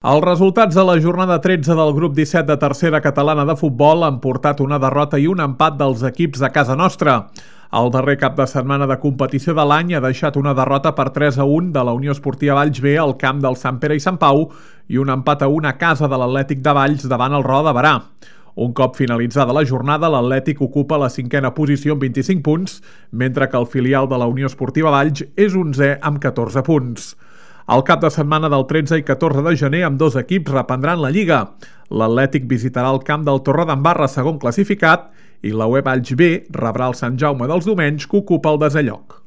Els resultats de la jornada 13 del grup 17 de tercera catalana de futbol han portat una derrota i un empat dels equips de casa nostra. El darrer cap de setmana de competició de l'any ha deixat una derrota per 3-1 de la Unió Esportiva Valls B al camp del Sant Pere i Sant Pau i un empat a 1 a casa de l'Atlètic de Valls davant el Roda de Berà. Un cop finalitzada la jornada, l'Atlètic ocupa la 5a posició amb 25 punts, mentre que el filial de la Unió Esportiva Valls és 11è amb 14 punts. El cap de setmana del 13 i 14 de gener ambdós equips reprendran la Lliga. L'Atlètic visitarà el camp del Torredembarra, segon classificat, i la UE Valls B rebrà el Sant Jaume dels Domenys, que ocupa el desè lloc.